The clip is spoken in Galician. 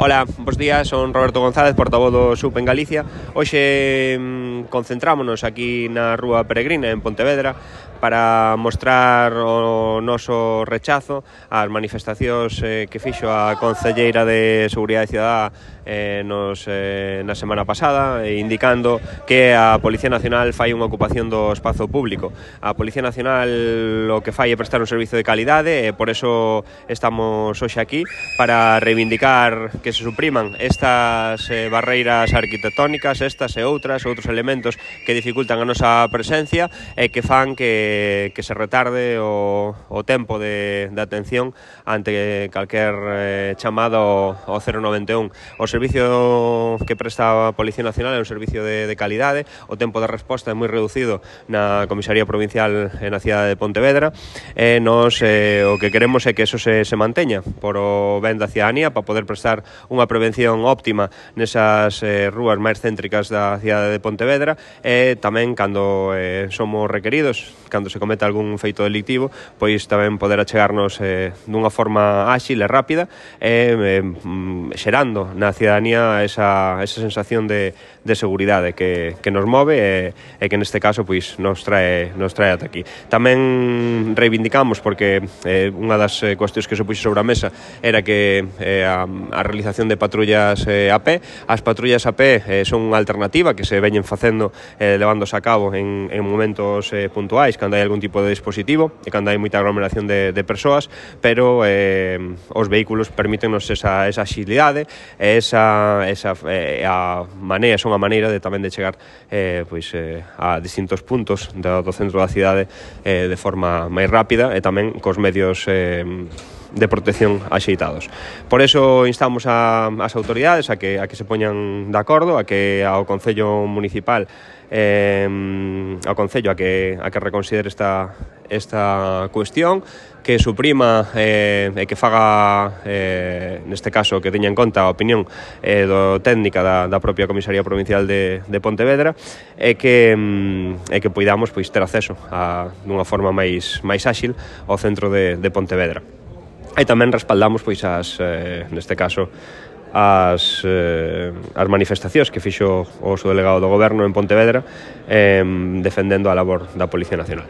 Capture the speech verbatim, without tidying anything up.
Ola, bos días, son Roberto González, portavoz do S U P en Galicia. Hoxe mmm, concentrámonos aquí na Rúa Peregrina, en Pontevedra, para mostrar o noso rechazo ás manifestacións eh, que fixo a Concelleira de Seguridade Cidadá eh, nos, eh, na semana pasada, eh, indicando que a Policía Nacional fai unha ocupación do espazo público. A Policía Nacional o que fai é prestar un servizo de calidade e por eso estamos hoxe aquí para reivindicar que se supriman estas eh, barreiras arquitectónicas, estas e outras, outros elementos que dificultan a nosa presencia e que fan que que se retarde o, o tempo de, de atención ante calquer eh, chamada ao, ao cero noventa e un. O servicio que presta a Policía Nacional é un servicio de, de calidade, o tempo de resposta é moi reducido na Comisaría Provincial na cidade de Pontevedra e nos eh, o que queremos é que eso se, se manteña por o ben da cidadanía para poder prestar unha prevención óptima nesas eh, rúas máis céntricas da cidade de Pontevedra e tamén cando eh, somos requeridos, cando se cometa algún feito delictivo, pois tamén poder achegarnos eh, dunha forma áxil e rápida e eh, xerando na cidadanía esa, esa sensación de, de seguridade que, que nos move e, e que neste caso pois nos trae, nos trae ata aquí. Tamén reivindicamos, porque eh, unha das eh, cuestións que se puxo sobre a mesa era que eh, a, a realización de patrullas eh, a pé, as patrullas a pé eh, son unha alternativa que se veñen facendo, eh, levándose a cabo en, en momentos eh, puntuais, cando hai algún tipo de dispositivo e cando hai moita aglomeración de, de persoas, pero eh, os vehículos permítenos esa, esa axilidade e esa, esa eh, a maneira, son a maneira de tamén de chegar eh, pois, eh, a distintos puntos do, do centro da cidade eh, de forma máis rápida e tamén cos medios eh, de protección axeitados. Por eso instamos a, as autoridades a que, a que se poñan de acordo, a que ao Concello Municipal eh, ao Concello a que, a que reconsidere esta, esta cuestión, que suprima eh, e que faga, eh, neste caso, que teña en conta a opinión eh, do técnica da, da propia Comisaría Provincial de, de Pontevedra e que, mm, e que poidamos pois, ter acceso a, dunha forma máis, máis áxil ao centro de, de Pontevedra. E tamén respaldamos, pois, as, eh, neste caso, as, eh, as manifestacións que fixo o subdelegado do Goberno en Pontevedra eh, defendendo a labor da Policía Nacional.